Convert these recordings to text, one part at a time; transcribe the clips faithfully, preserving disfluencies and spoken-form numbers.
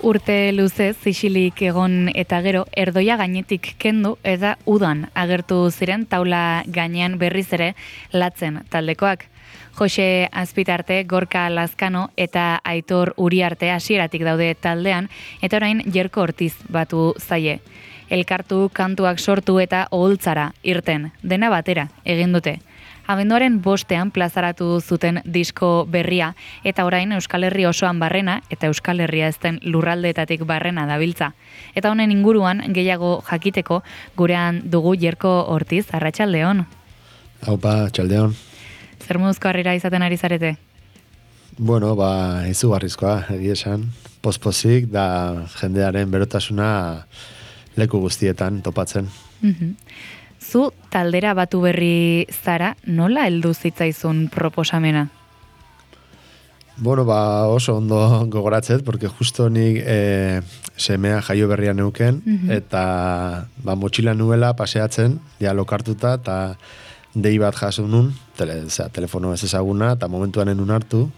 Urte luzez, isilik egon eta gero, erdoia gainetik kendu eta udan agertu ziren taula gainean berriz ere latzen taldekoak. Jose Azpitarte, Gorka Lazkano eta Aitor Uriarte hasieratik daude taldean, eta orain Jerko Ortiz batu zaie. Elkartu, kantuak sortu eta oholtzara irten, dena batera egin dute. Abenduaren bostean plazaratu zuten disko berria, eta orain Euskal Herri osoan barrena, eta Euskal Herria ez den lurraldeetatik barrena dabiltza. Eta honen inguruan gehiago jakiteko gurean dugu Jerko Ortiz, arratsaldeon. Haupa, txaldeon. Zer moduzko harrera izaten ari zarete? Bueno, ba, izugarrizkoa, egia esan. Pospozik da jendearen berotasuna leku guztietan topatzen. Mm-hmm. Zu taldera batu berri zara, nola heldu zitzaizun proposamena? Bueno, ba, oso ondo gogoratzet, porque justo nik e, semea jaio berria neuken, mm-hmm. eta ba, motxila nuela paseatzen, ja lokartuta, eta dei bat jaso nun, tele, zera, telefono ez ezaguna, eta momentuan enun hartu,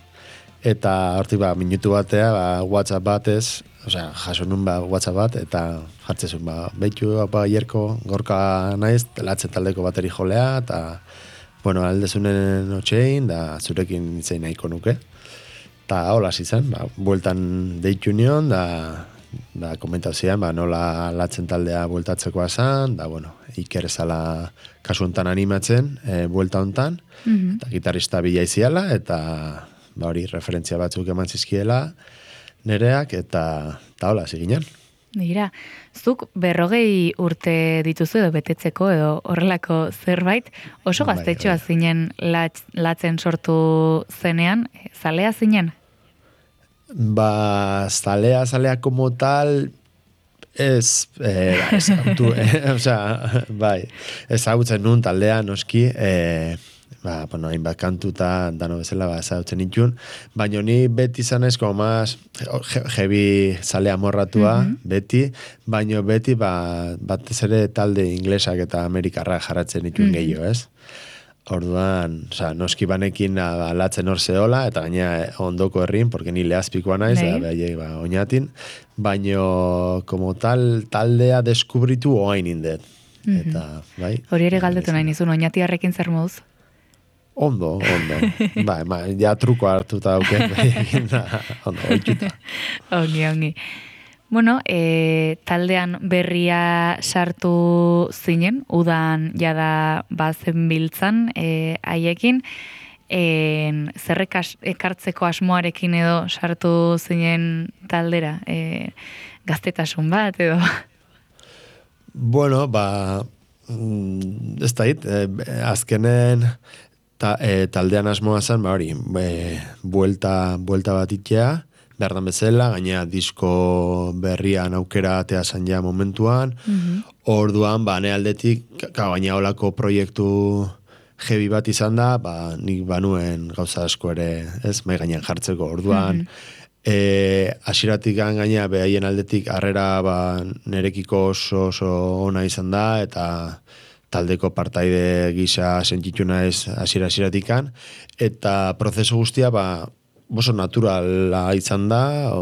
eta hortik ba, minutu batea, ba, WhatsApp batez, osea, jaso nun ba, WhatsApp bat, eta jartzezun, ba, behitu, apa, Jerko, Gorka naiz, latzen taldeko bateri jolea, eta, bueno, aldezunen otxein, da zurekin itzein nahiko nuke. Eta hola zizan, ba, bueltan deitu nion, da, da komentazioan, ba, nola latzen taldea bueltatzekoa zan, da, bueno, Iker ezala kasu hontan animatzen, e, buelta hontan, mm-hmm. eta gitarrista bila iziala, eta ba, hori referentzia batzuk eman zizkiela nereak, eta, eta hola, ziginen. Dira, zuk berrogei urte dituzu edo betetzeko edo horrelako zerbait, oso gaztetxoa bai, zinen latz, latzen sortu zenean, zalea zinen? Ba, zalea, zalea como tal, ez, eh, ez autu, eh, osea, bai, ez hautzen nun taldea, noski, eh, ba, bueno, hainbat kantuta, dano bezala, ba, ez hautzen itxun, baina ni beti zanez, como más, jebi zalea morratua, mm-hmm. beti, baina beti, ba, batez ere talde inglesak eta amerikarra jarratzen itxun mm-hmm. gehiago, ez? Orduan, oza, noski banekin alatzen hor zehola, eta gaina ondoko herrin, porque ni lehazpikoa naiz, da behaiei ba, oinatin, baino, como tal, taldea deskubritu oain indet. Mm-hmm. Eta, bai? Hori ere galdetu nahi nizun, oinatiarrekin zer moduz? Ondo, ondo. Bai, ma, ja truko hartuta dauken, bai, ondo, oituta. Ongi, ongi. Bueno, e, taldean berria sartu zinen, udan jada bazen biltzan e, haiekin, e, zerrek ekartzeko asmoarekin edo sartu zinen taldera, e, gaztetasun bat edo? Bueno, ba, ez da hit, e, azkenen ta, e, taldean asmoa zen, ba hori, e, buelta, buelta bat itea, berdan bezala, gaina disko berrian aukera atea zan ja momentuan, mm-hmm. orduan, ba, ne aldetik, gaina olako proiektu jebi bat izan da, ba, nik banuen gauza asko ere, ez, mai gainean jartzeko, orduan, mm-hmm. e, asiratik gaina behaien aldetik harrera, ba, nerekiko oso, oso ona izan da, eta taldeko partaide gisa sentitu naiz asira-asiratikan, eta prozesu guztia, ba, oso naturala izan da,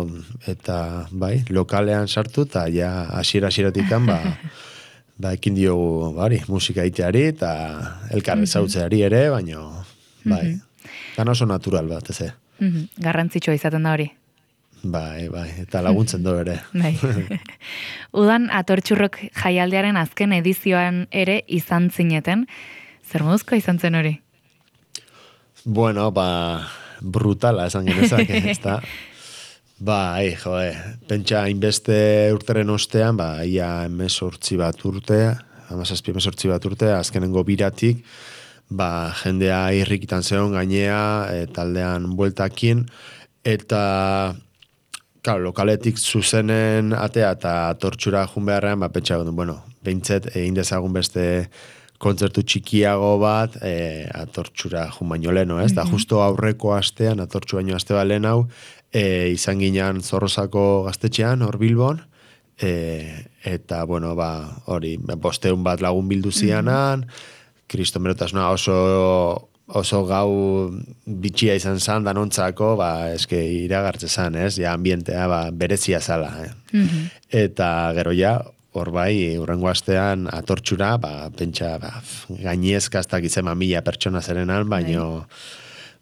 eta bai, lokalean sartu, eta ja hasiera-hasieratikan, ba, ba, ekin diogu, bari, musika iteari, eta elkarre zautzeari ere, baina, bai, gana oso natural bat, ez. Mm-hmm. Garrantzitsua izaten da hori. Bai, bai, eta laguntzen do ere. Bai. Udan Atortxurrok jaialdiaren azken edizioan ere izan zineten, zer moduzkoa izan zen hori? Bueno, ba, brutala esan genezak, ez da. Ba, ei, joe, pentsa inbeste urteren ostean, ba, ia emesortzi bat urte, amazazpi emesortzi bat urte, azkenengo biratik, ba, jendea irrikitan zeon gainea, e, taldean bueltakin, eta, claro, lokaletik zuzenen atea eta Tortxura jun beharrean, ba, pentsa, bueno, behintzet, egin dezagun beste kontzertu txikiago bat, e, Atortxura jun baino leno, ez? Da, mm-hmm. justo aurreko astean, Atortxu baino aste bat lehen hau, e, izan ginean Zorrozako gaztetxean, hor Bilbon, e, eta, bueno, ba, hori, bosteun bat lagun bildu zianan, mm-hmm. kristomerotasuna oso oso gau bitxia izan zan danontzako, ba, eske iragartze zan, ez? Ja, ambientea, ba, berezia zala, eh? Mm-hmm. Eta gero ja, hor bai, urrengo astean atortxura, ba, pentsa, ba, gainezka ez dakitzen mila pertsona zerenan, baino,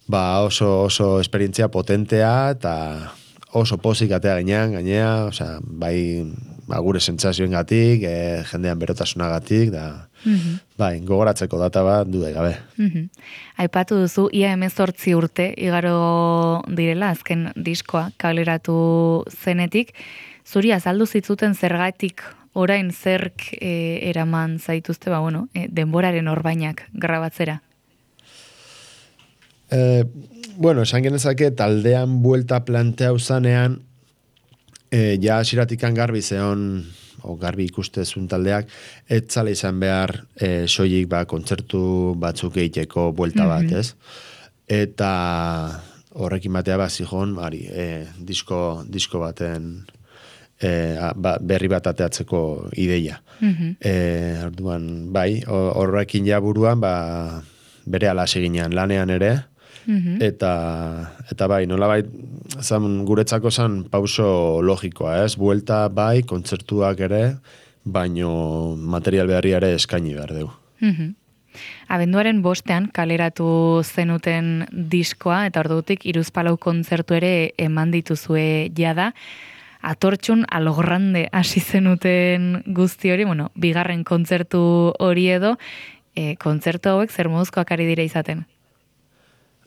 ba, oso, oso esperientzia potentea, eta oso pozik atea gainean, gainea, osea, bai, ba, gure sentsazioengatik, e, jendean berotasunagatik, da, mm-hmm. bai, gogoratzeko data bat dude gabe. Mm-hmm. Aipatu duzu, ia hemezortzi urte, igaro direla, azken diskoa, kaleratu zenetik, zuri azaldu zitzuten zergatik orain zerk e, eraman zaituzte, ba, bueno, e, denboraren orbainak grabatzera? Eh, bueno, esan genezake taldean buelta planteau zanean, eh, ja asiratikan garbi zeon, o garbi ikustezun taldeak, etzala izan behar eh, soilik ba, kontzertu batzuk egiteko buelta bat, mm-hmm. ez? Eta horrekin batea ba, zijon, ari, eh, disko, disko baten eh, ba, berri bat ateatzeko ideia. Mm-hmm. Eh, orduan, bai, horrekin ja buruan, ba, bere ala seginean lanean ere, mm-hmm. eta, eta bai, nola bai, zan, guretzako zan pauso logikoa, ez? Buelta bai, kontzertuak ere, baino material beharri ere eskaini behar dugu. Mm-hmm. Abenduaren bostean kaleratu zenuten diskoa, eta ordutik hiruzpalau kontzertu ere eman dituzue jada, atortxun alogrande hasi zenuten guzti hori, bueno, bigarren kontzertu hori edo, e, kontzertu hauek zer moduzkoak ari dira izaten?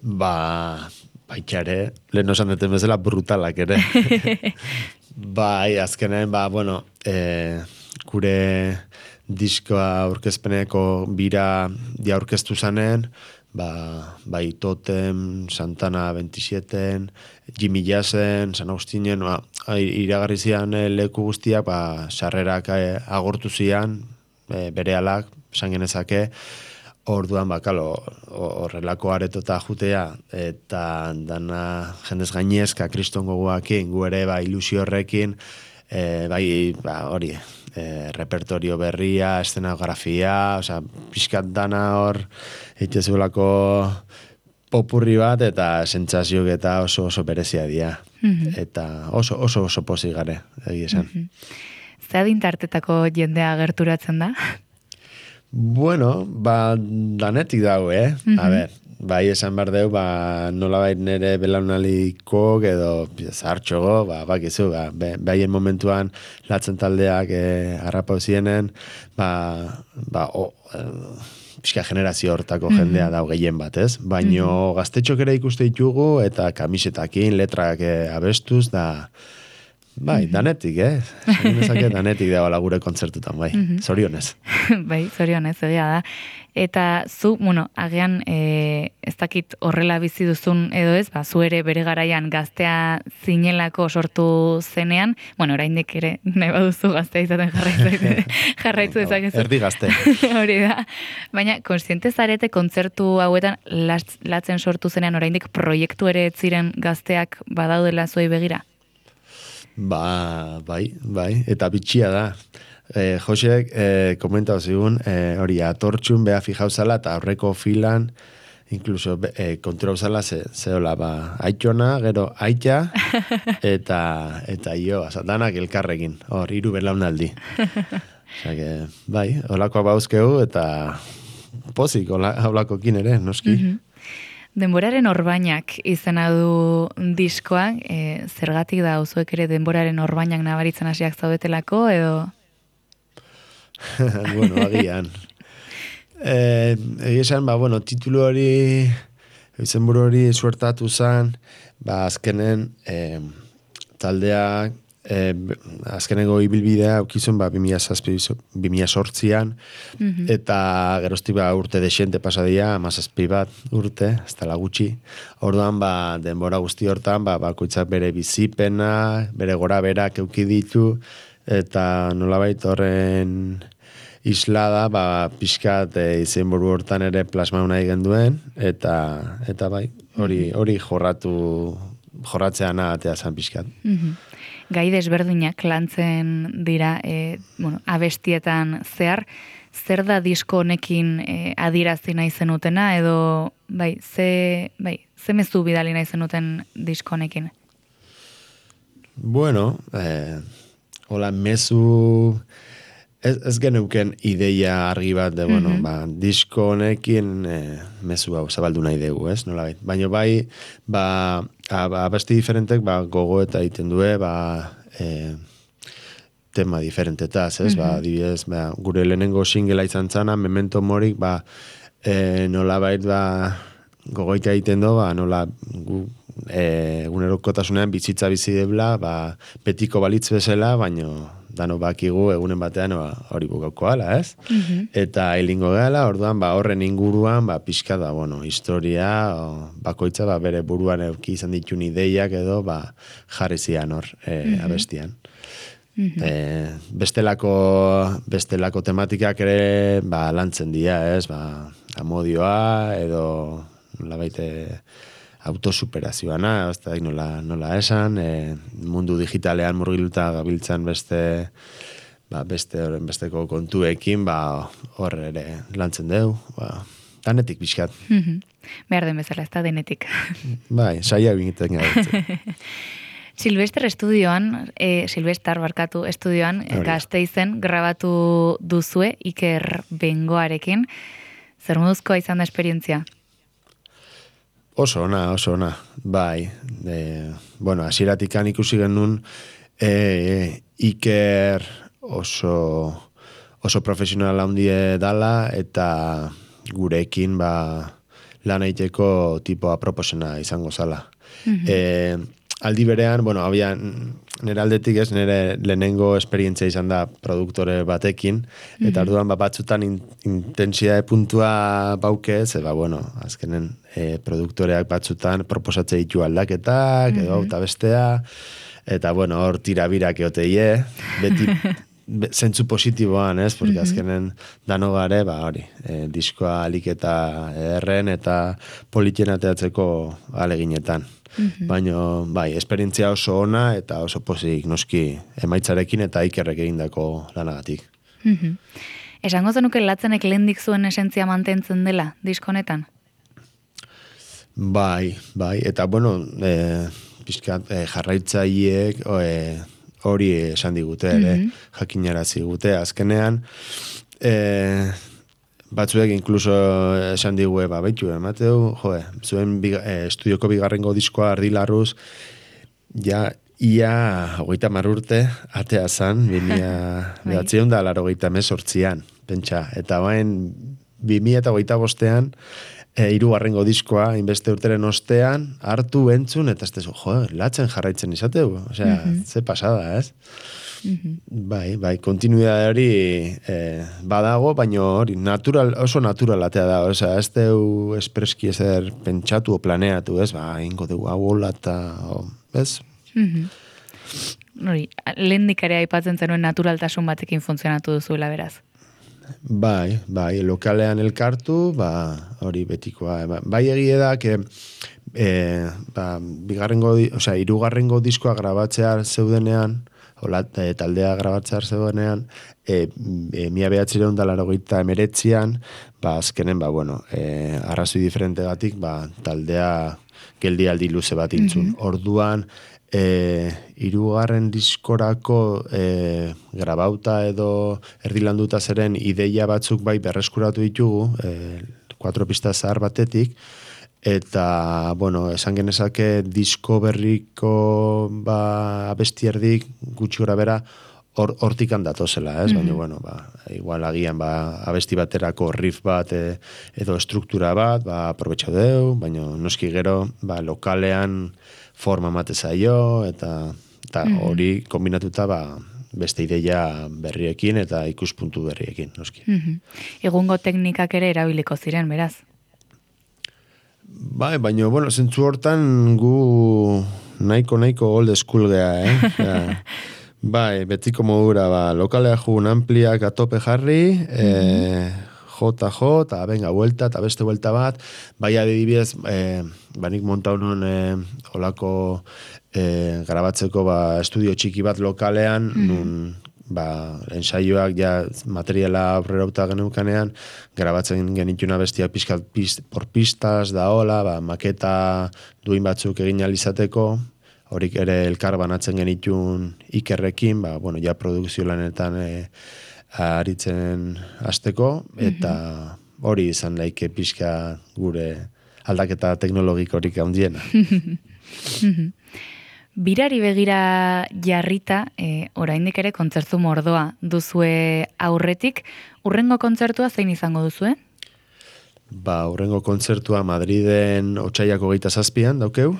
Ba, baitxare, lehen osan deten bezala brutalak ere. Bai, azkenen, ba, bueno, e, gure diskoa aurkezpeneko bira dia aurkeztu zanen, ba, bai Totem, Santana veintisiete, Jimmy Jassen, San Agustinen, ba, iragarri zian leku guztiak, ba, sarrerak agortu zian, e, bere alak, esan genezake, orduan, bakalo, horrelako aretota jutea, eta dana jendez gainezka, kriston gogoakin, gu ere, ba, ilusio horrekin, e, bai, ba, hori, e, repertorio berria, eszenografia, osea, pixkat dana hor, eitezulako popurri bat, eta sentsazioak eta oso oso berezia dira. Mm-hmm. Eta oso oso oso pozik gare, egia esan. Mm-hmm. Zeadin tartetako jendea gerturatzen da? Bueno, ba, danetik dago, eh? Mm-hmm. A ber, bai esan behar deu, ba, nola bai nere belaunaliko edo zartxogo, ba, bakizu, ba, behaien momentuan latzen taldeak eh, harrapau zienen, ba, ba, o, eh, pixka generazio hortako mm-hmm. jendea dago gehien bat, ez? Baino mm-hmm. gaztetxok ere ikuste ditugu, eta kamisetakin, letrak eh, abestuz, da... Bai, mm-hmm. danetik, eh? Zaginezake danetik dagoela gure kontzertutan, bai. Mm-hmm. Zorionez. Bai, zorionez, egia da. Eta zu, bueno, agian e, ez dakit horrela bizi duzun edo ez, ba, zu ere bere garaian gaztea zinelako sortu zenean, bueno, oraindik ere nahi baduzu gaztea izaten jarraitu, jarraitu dezakezu. Erdi gazte. Hori da. Baina, konstiente zarete kontzertu hauetan latzen sortu zenean oraindik proiektu ere ez ziren gazteak badaudela zuei begira? Ba, bai, bai, eta bitxia da. E, Josek, e, komentau zigun, e, hori, atortxun beha fijauzala, eta aurreko filan, inkluso, e, kontura uzala, ze, zeola, ba, aitona, gero, aita, eta, eta jo, danak elkarrekin, hor, hiru belaunaldi. Osa, que, bai, holakoa bauzkeu, eta pozik, holakokin ere, noski. Mm-hmm. Denboraren orbainak izena du diskoa, e, zergatik da uzuek ere denboraren orbainak nabaritzen hasiak zaudetelako, edo? Bueno, agian. E, Egia esan, ba, bueno, titulu hori, izenburu hori suertatu zen, ba, azkenen e, taldeak, E, azkenengo ibilbidea aukizun ba, bi mila zortzian mm-hmm. eta geroztik ba, urte desente pasadia, amazazpi bat urte, ez tala gutxi. Orduan, ba, denbora guzti hortan, ba, bakoitzak bere bizipena, bere gora berak euki ditu, eta nolabait horren islada, ba, pixkat e, izenburu hortan ere plasma nahi genduen, eta, eta bai, hori, hori jorratu, jorratzean atea zan pixkat. Mm-hmm. Gai desberdinak lantzen dira e, bueno, abestietan zehar, zer da disko honekin e, adirazi nahi zenutena, edo bai, ze, bai, ze mezu bidali nahi zenuten disko honekin? Bueno, eh, hola, mezu... Ez, ez geneuken ideia argi bat, de, bueno, Mhm. ba, disko honekin eh, mezu hau zabaldu nahi dugu, ez? Nola bai. Baina bai, ba, abesti diferentek, ba, gogo eta egiten due, ba, eh, tema diferentetaz, ez? Ba, Mhm. adibidez, ba, gure lehenengo singela izan zana, Memento Morik, ba, eh, nola bait, ba, gogoita egiten do, ba, nola gu, e, egunerokotasunean bizitza bizi debla, ba, betiko balitz bezala, baino dano bakigu egunen batean ba, hori bukauko ala, ez? Mhm. Eta hilingo gala, orduan, ba, horren inguruan, ba, pixka da, bueno, historia, o, bakoitza, ba, bere buruan euki izan ditun ideiak edo, ba, jarri zian hor, e, Mhm. abestian. Mhm. E, bestelako, bestelako tematikak ere, ba, lantzen dira, ez? Ba, amodioa, edo, nola baite, autosuperazioana, ez da nola, nola esan, e, mundu digitalean murgiluta gabiltzan beste, ba, beste horren besteko kontuekin, ba, hor ere lantzen deu, ba, danetik pixkat. Mhm. Behar den bezala, ez da denetik. Bai, saia egiten gabetzen. Silvester estudioan, e, Silvestar barkatu estudioan, Hori da. Gasteizen grabatu duzue Iker Bengoarekin. Zer moduzkoa izan da esperientzia? Oso ona, oso ona, bai. E, bueno, hasieratikan ikusi genuen e, Iker oso, oso profesional handie dala, eta gurekin ba, lan egiteko tipo aproposena izango zala. Mhm. E, aldi berean, bueno, abian, nire aldetik ez, nire lehenengo esperientzia izan da produktore batekin, eta Mhm. orduan ba, batzutan in, intensiade puntua bauke, ze ba, bueno, azkenen e, produktoreak batzutan proposatze ditu aldaketak, edo Mhm. eta bestea, eta bueno, hor tirabirak eoteie, beti be- zentzu positiboan, ez? Porque Mhm. azkenen dano gare, ba, hori, e, diskoa alik eta erren eta politien ateatzeko aleginetan. Mhm. Baina, bai, esperientzia oso ona eta oso pozik noski emaitzarekin eta Ikerrek egindako lanagatik. Mhm. Esango zenuke latzenek lehendik zuen esentzia mantentzen dela, diskonetan? Bai, bai, eta bueno, e, pixkat e, jarraitzaileek e, hori esan digute ere, Mhm. jakinarazi gute, azkenean, e, batzuek inkluso esan digue, ba, baitu, emateu, joe, zuen biga, e, estudioko bigarrengo diskoa ardilarruz, ja, ia hogeita marurte atea zan, bimia Bai. behatzion da laro hogeita mesortzian, pentsa, eta bain, bimia eta hogeita bostean, e, hirugarrengo diskoa, inbeste urteren ostean, hartu entzun, eta ez tezu, jo, latzen jarraitzen izateu, osea, Mhm. ze pasada, ez? Mhm. Bai, bai, kontinuidade hori eh, badago, baina hori natural, oso naturalatea da, osea, ez deu espreski ezer pentsatu o planeatu, ez, ba, ingo dugu hau hola eta, o, ez? Mhm. Hori, lehendik ere aipatzen zenuen naturaltasun batekin funtzionatu duzuela beraz. Bai, bai, lokalean elkartu, ba, hori betikoa. Ba, bai egie da, que, e, ba, bigarrengo, di- osea, hirugarrengo diskoa grabatzea zeudenean, hola, e, taldea grabatzea zeudenean, e, e, mila behatzireun da larogeita emeretzian, ba, azkenen, ba, bueno, e, arrazoi diferentegatik, ba, taldea geldialdi luze bat intzun. Mhm. Orduan, e, hirugarren diskorako e, grabauta edo erdilanduta zeren ideia batzuk bai berreskuratu ditugu, e, kuatro pista zahar batetik, eta, bueno, esan genezake disko berriko ba, abestierdik gutxi gora bera hor, hortikan datozela, ez? Mhm. Baina, bueno, ba, igual agian ba, abesti baterako riff bat e, edo estruktura bat, ba, aprobetxau deu, baina noski gero ba, lokalean forma mate zaio, eta eta Mhm. hori kombinatuta ba, beste ideia berriekin eta ikuspuntu berriekin, noski. Mhm. Egungo teknikak ere erabiliko ziren, beraz. Bai, baina, bueno, zentzu hortan gu nahiko, nahiko old school gea, eh? Osea, bai, betiko modura, ba, lokalea jugun ampliak atope jarri, eh, jota jo, eta venga, vuelta, eta beste vuelta bat, bai adibidez, eh, banik monta honon eh, olako eh, grabatzeko ba, estudio txiki bat lokalean, nun ba, ensaioak ja materiala aurrerauta genukanean, grabatzen genituna bestia pizkat pist, por pistas da hola, ba, maketa duin batzuk egin alizateko, horik ere elkar banatzen genitun ikerrekin, ba, bueno, ja produkzio lanetan e, aritzen hasteko, eta hori izan laike pixka gure aldaketa teknologikorik handiena. Birari begira jarrita, e, oraindik ere kontzertu mordoa duzue aurretik, urrengo kontzertua zein izango duzue? Ba, urrengo kontzertua Madriden otsailak hogeita zazpian daukeu,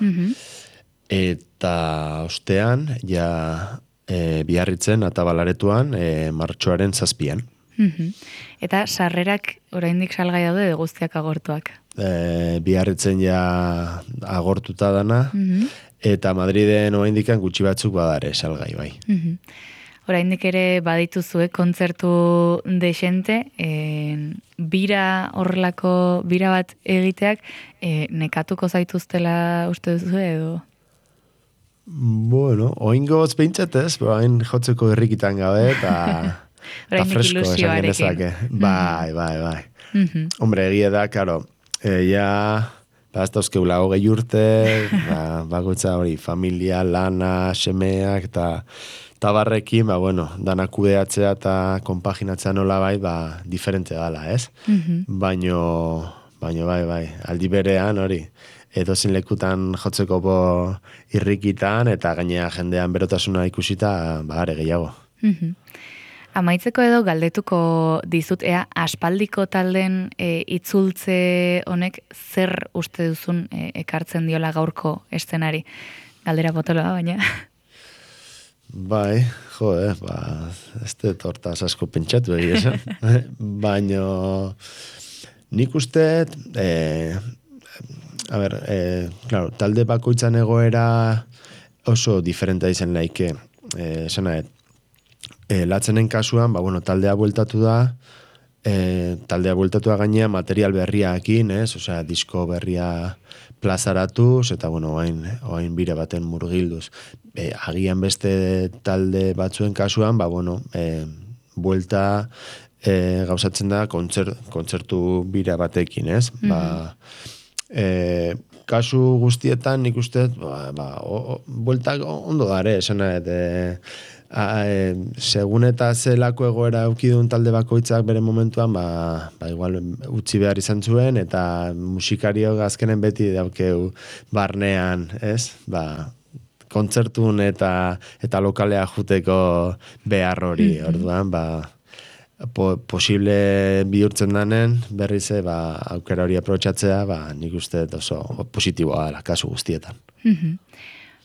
eta ostean, ja e, Biarritzen Atabalaretuan e, martxoaren zazpian. Eta sarrerak oraindik salgai daude edo guztiak agortuak? E, Biarritzen ja agortuta dana, eta Madriden oraindikan gutxi batzuk badare salgai bai. Oraindik ere badituzue kontzertu desente, e, bira horrelako bira bat egiteak e, nekatuko zaituztela uste duzu edo? Bueno, oingoz behintzat ez, hain jotzeko herrikitan gabe, eta ta fresko esan genezake. Bai, bai, bai. Hombre, egia da, karo, e, ja, ba, ez dauzkeula hogei urte, ba, bakoitza hori, familia, lana, semeak, eta tabarrekin, ba, bueno, dana kudeatzea eta konpaginatzea nola bai, ba, diferente dala, ez? Baino, baino, bai, bai, aldi berean, hori, edozin lekutan jotzeko bo irrikitan, eta gainea jendean berotasuna ikusita, ba, are gehiago. Amaitzeko edo galdetuko dizut, ea aspaldiko talden e, itzultze honek zer uste duzun e, ekartzen diola gaurko eszenari? Galdera potoloa, baina. Bai, jo, eh, ba, ez dut hortaz asko pentsatu egia esan. Baina nik uste, eh, a ber, eh, claro, talde bakoitzan egoera oso diferentea izan laike, eh, esana, E, latzenen kasuan, ba, bueno, taldea bueltatu da, e, taldea bueltatu da gainea material berriakin, ez? Osea, disko berria plazaratuz, eta, bueno, oain, oain bire baten murgilduz. E, agian beste talde batzuen kasuan, ba, bueno, e, buelta e, gauzatzen da kontzer, kontzertu bira batekin, ez? Mm-hmm. Ba, e, kasu guztietan nik uste, ba, ba, o, o, bueltak ondo dare, esana, eta A, e, segun eta zelako egoera eukidun talde bakoitzak bere momentuan, ba, ba igual utzi behar izan zuen, eta musikariok azkenen beti daukeu barnean, ez? Ba, kontzertun eta eta lokalea juteko behar hori, orduan, ba, po, posible bihurtzen danen, berriz, ba, aukera hori aprobetxatzea, ba, nik uste oso positiboa dela, kasu guztietan.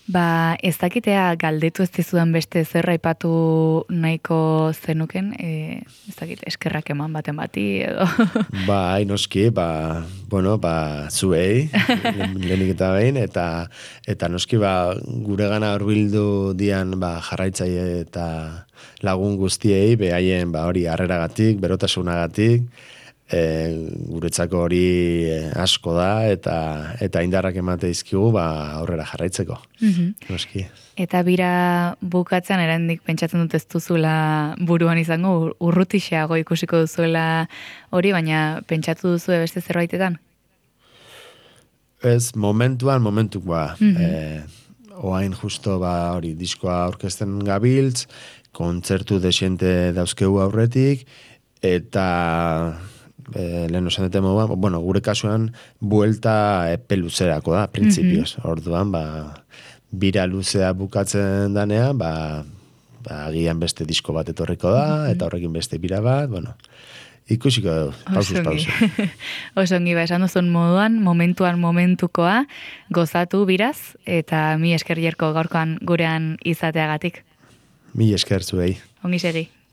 Ba, ez dakitea galdetu ez dizudan beste zer aipatu nahiko zenuken, e, ez dakit, eskerrak eman baten bati, edo. Ba, noski, ba, bueno, ba, zuei, lehenik eta behin, eta, eta noski, ba, gure gana horbildu dian, ba, jarraitzaile eta lagun guztiei, behaien, ba, hori harreragatik, berotasunagatik, E, guretzako hori asko da eta eta indarrak emate dizkigu ba aurrera jarraitzeko. Noski. Eta bira bukatzen erandik pentsatzen dut ez duzula buruan izango urrutixeago ikusiko duzuela hori, baina pentsatu duzu beste zerbaitetan? Ez, momentuan, momentuk ba. E, oain justo ba hori diskoa aurkezten gabiltz, kontzertu desiente dauzkegu aurretik, eta E, lehen osan dute moduan, bueno, gure kasuan buelta epe luzerako da, printzipioz. Mm-hmm. Orduan, ba, bira luzea bukatzen danean, ba, ba, agian beste disko bat etorriko da, mm-hmm. eta horrekin beste bira bat, bueno, ikusiko dugu, pausuz, pausu. Osongi, ba, esan duzun moduan, momentuan momentukoa, gozatu biraz, eta mi esker jerko gaurkoan gurean izateagatik. Mi esker zuei. Ongi segi.